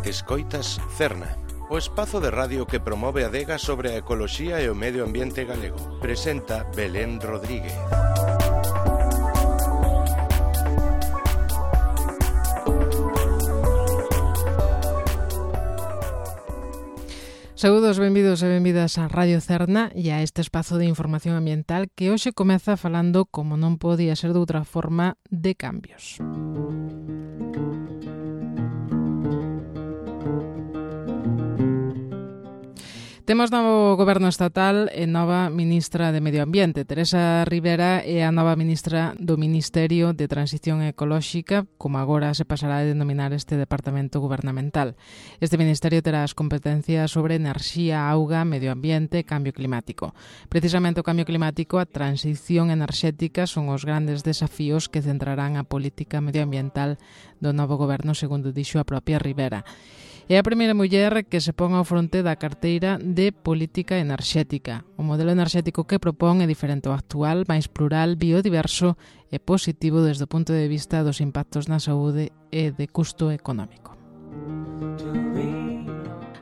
Escoitas Cerna, o espazo de radio que promove a adega sobre a ecoloxía e o medio ambiente galego. Presenta Belén Rodríguez. Saúdos, benvidos e benvidas a Radio Cerna e a este espazo de información ambiental que hoxe comeza falando, como non podía ser de outra forma, de cambios. Temos novo goberno estatal e nova ministra de Medio Ambiente. Teresa Rivera é a nova ministra do Ministerio de Transición Ecolóxica, como agora se pasará a denominar este departamento gubernamental. Este ministerio terá as competencias sobre enerxía, auga, medio ambiente e cambio climático. Precisamente o cambio climático, a transición enerxética son os grandes desafíos que centrarán a política medioambiental do novo goberno, segundo dixo a propia Rivera. É a primeira muller que se pon ao fronte da carteira de política enerxética. O modelo enerxético que propón é diferente ao actual, máis plural, biodiverso e positivo desde o punto de vista dos impactos na saúde e de custo económico.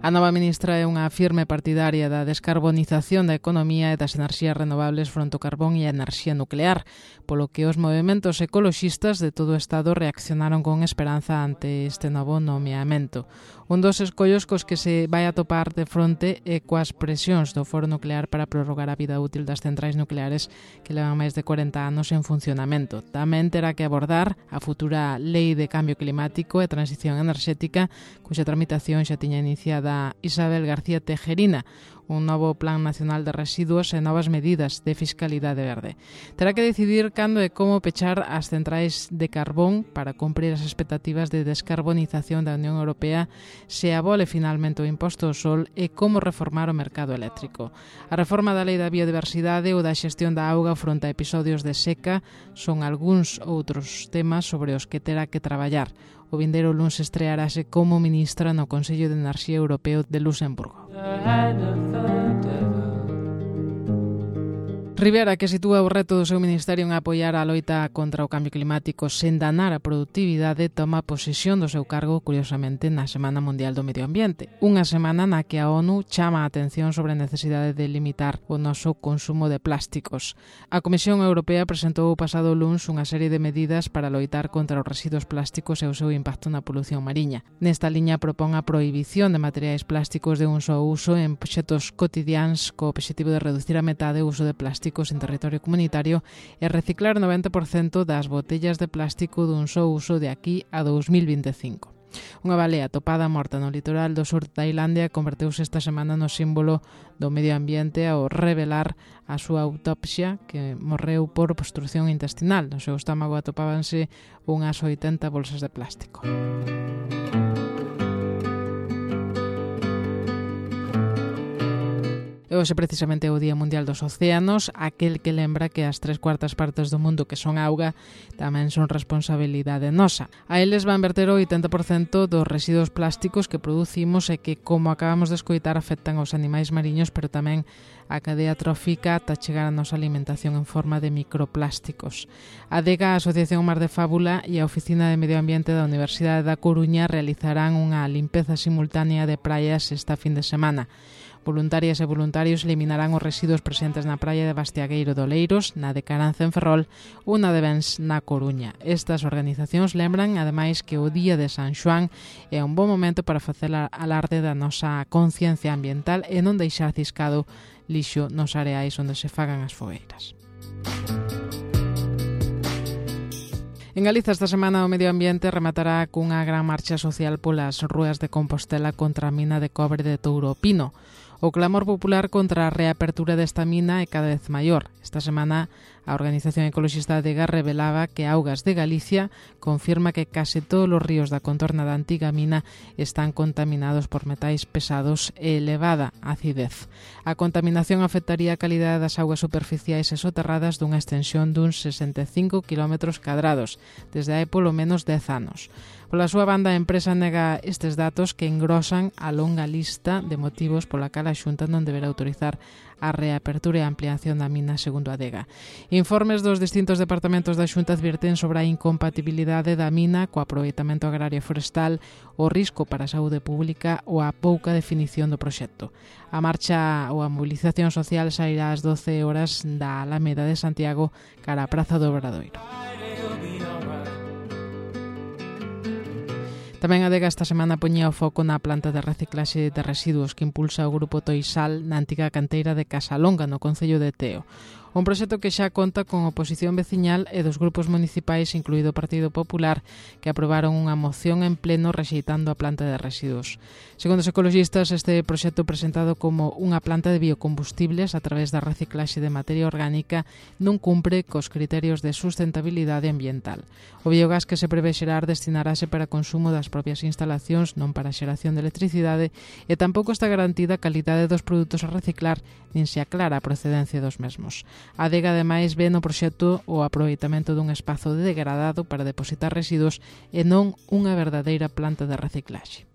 A nova ministra é unha firme partidaria da descarbonización da economía e das enerxías renovables fronte ao carbón e a enerxía nuclear, polo que os movementos ecoloxistas de todo o Estado reaccionaron con esperanza ante este novo nomeamento. Un dos escollos cos que se vai a topar de fronte é coas presións do Foro Nuclear para prorrogar a vida útil das centrais nucleares que levan máis de 40 anos en funcionamento. Tamén terá que abordar a futura Lei de Cambio Climático e Transición Enerxética, cuxa tramitación xa tiña iniciada Isabel García Tejerina, un novo Plan Nacional de Residuos e novas medidas de fiscalidade verde. Terá que decidir cando e como pechar as centrais de carbón para cumprir as expectativas de descarbonización da Unión Europea, se abole finalmente o imposto ao sol e como reformar o mercado eléctrico. A reforma da Lei da Biodiversidade ou da xestión da auga fronte a episodios de seca son algúns outros temas sobre os que terá que traballar. O vindeiro luns estrearase como ministra no Consello de Enerxía Europeo de Luxemburgo. Rivera, que sitúa o reto do seu ministerio en apoiar a loita contra o cambio climático sen danar a produtividade, toma posesión do seu cargo, curiosamente, na Semana Mundial do Medio Ambiente. Unha semana na que a ONU chama a atención sobre a necesidade de limitar o noso consumo de plásticos. A Comisión Europea presentou o pasado luns unha serie de medidas para loitar contra os residuos plásticos e o seu impacto na polución mariña. Nesta liña propón a prohibición de materiais plásticos de un só uso en obxetos cotidiáns co obxectivo de reducir a metade o uso de plásticos en territorio comunitario e reciclar o 90% das botellas de plástico dun só uso de aquí a 2025. Unha balea topada morta no litoral do sur de Tailandia converteuse esta semana no símbolo do medio ambiente ao revelar a súa autopsia, que morreu por obstrucción intestinal. No seu estómago atopábanse unhas 80 bolsas de plástico. E hoxe precisamente é o Día Mundial dos Océanos, aquel que lembra que as 3/4 partes do mundo que son auga tamén son responsabilidade nosa. A eles van verter o 80% dos residuos plásticos que producimos e que, como acabamos de escoitar, afectan aos animais mariños, pero tamén a cadea trófica ata chegar a nosa alimentación en forma de microplásticos. A ADEGA, a Asociación Mar de Fábula e a Oficina de Medio Ambiente da Universidade da Coruña realizarán unha limpeza simultánea de praias esta fin de semana. Voluntarias e voluntarios eliminarán os residuos presentes na praia de Bastiagueiro de Oleiros, na de Caranza en Ferrol ou na de Bens na Coruña. Estas organizacións lembran, ademais, que o Día de San Xoán é un bon momento para facer alarde da nosa conciencia ambiental e non deixar ciscado lixo nos areais onde se fagan as fogueiras. En Galiza esta semana o medio ambiente rematará cunha gran marcha social polas rúas de Compostela contra a mina de cobre de Touro Pino. O clamor popular contra a reapertura desta mina é cada vez maior. Esta semana a Organización Ecoloxista ADEGA revelaba que Augas de Galicia confirma que case todos os ríos da contorna da antiga mina están contaminados por metais pesados e elevada acidez. A contaminación afectaría a calidade das augas superficiais e soterradas dunha extensión duns 65 km cadrados, desde hai polo menos 10 anos. Pola súa banda, a empresa nega estes datos que engrosan a longa lista de motivos pola cal a Xunta non deberá autorizar a reapertura e a ampliación da mina segundo a Adega. Informes dos distintos departamentos da Xunta advirten sobre a incompatibilidade da mina co aproveitamento agrario e forestal, o risco para a saúde pública ou a pouca definición do proxecto. A marcha ou a mobilización social sairá ás 12 horas da Alameda de Santiago cara á Praza do Obradoiro. Tamén a Adega esta semana poñía o foco na planta de reciclaxe de residuos que impulsa o grupo Toisal na antiga canteira de Casalonga, no concello de Teo. Un proxecto que xa conta con oposición veciñal e dos grupos municipais, incluído o Partido Popular, que aprobaron unha moción en pleno rexeitando a planta de residuos. Segundo os ecologistas, este proxecto presentado como unha planta de biocombustibles a través da reciclaxe de materia orgánica non cumpre cos criterios de sustentabilidade ambiental. O biogás que se prevé xerar destinarase para consumo das propias instalacións, non para xeración de electricidade, e tampouco está garantida a calidade dos produtos a reciclar, nin se aclara a procedencia dos mesmos. A Adega, ademais, ve no proxecto o aproveitamento dun espazo degradado para depositar residuos e non unha verdadeira planta de reciclaxe.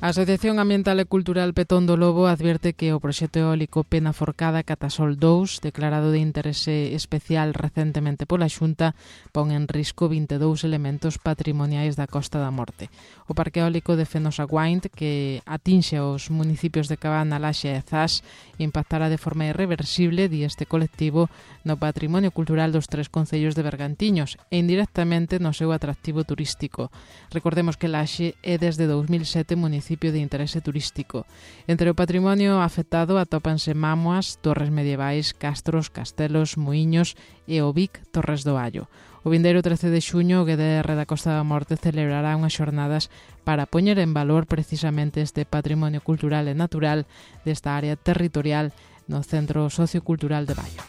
A Asociación Ambiental e Cultural Petón do Lobo advierte que o proxecto eólico Pena Forcada Catasol 2, declarado de interese especial recentemente pola Xunta, pon en risco 22 elementos patrimoniais da Costa da Morte. O parque eólico de Fenosa Guaint, que atinxe os municipios de Cabana, Laxe e Zas, impactará de forma irreversible, di este colectivo, no patrimonio cultural dos tres concellos de Bergantiños e indirectamente no seu atractivo turístico. Recordemos que Laxe é desde 2007 municipio de interese turístico. Entre o patrimonio afectado atópanse mámoas, torres medievais, castros, castelos, muiños e o Vic Torres do Allo. O vindeiro 13 de xuño, o GDR da Costa da Morte celebrará unhas xornadas para poñer en valor precisamente este patrimonio cultural e natural desta área territorial no Centro Sociocultural de Baio.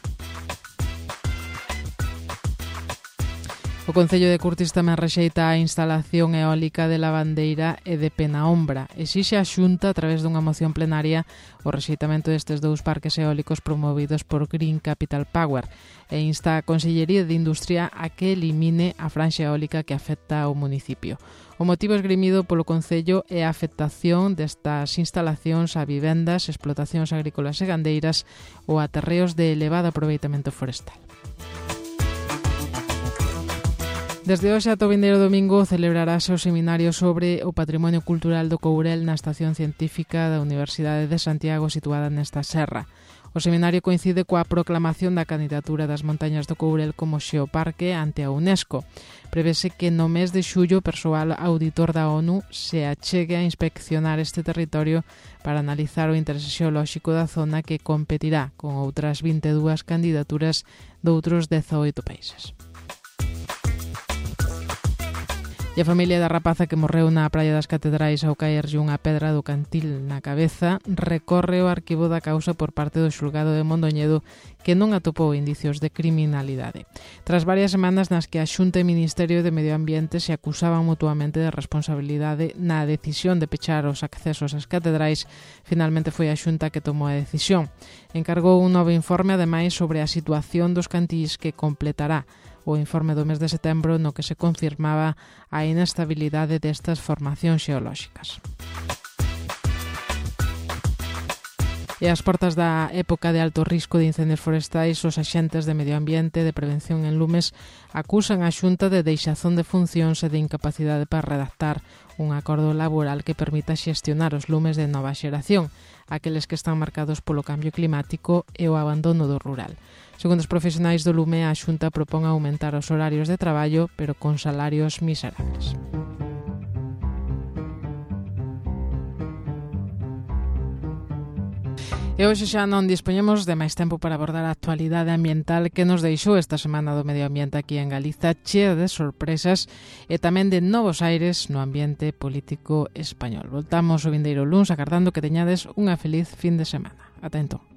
O Concello de Curtis tamén rexeita a instalación eólica de Lavandeira e de Penaombra. Exixe a Xunta, a través dunha moción plenaria, o rexeitamento destes dous parques eólicos promovidos por Green Capital Power e insta a Consellería de Industria a que elimine a franxa eólica que afecta ao municipio. O motivo esgrimido polo Concello é a afectación destas instalacións a vivendas, explotacións agrícolas e gandeiras ou a terreos de elevado aproveitamento forestal. Desde hoxe ata o vindeiro domingo celebrarase o seminario sobre o patrimonio cultural do Courel na Estación Científica da Universidade de Santiago situada nesta serra. O seminario coincide coa proclamación da candidatura das montañas do Courel como xeoparque ante a UNESCO. Prevese que no mes de xullo o persoal auditor da ONU se achegue a inspeccionar este territorio para analizar o interese xeolóxico da zona que competirá con outras 22 candidaturas doutros 18 países. E a familia da rapaza que morreu na Praia das Catedrais ao caerlle unha pedra do cantil na cabeza recorre o arquivo da causa por parte do xulgado de Mondoñedo, que non atopou indicios de criminalidade. Tras varias semanas nas que a Xunta e Ministerio de Medio Ambiente se acusaban mutuamente de responsabilidade na decisión de pechar os accesos ás catedrais, finalmente foi a Xunta que tomou a decisión. Encargou un novo informe, ademais, sobre a situación dos cantís que completará o informe do mes de setembro no que se confirmaba a inestabilidade destas formacións xeolóxicas. E ás portas da época de alto risco de incendios forestais, os axentes de medio ambiente de prevención en lumes acusan a Xunta de deixazón de funcións e de incapacidade para redactar un acordo laboral que permita xestionar os lumes de nova xeración, aqueles que están marcados polo cambio climático e o abandono do rural. Segundo os profesionais do lume, a Xunta propón aumentar os horarios de traballo, pero con salarios miserables. E hoxe xa non dispoñemos de máis tempo para abordar a actualidade ambiental que nos deixou esta semana do medio ambiente aquí en Galiza, chea de sorpresas e tamén de novos aires no ambiente político español. Voltamos o vindeiro luns agardando que teñades unha feliz fin de semana. Ata entón.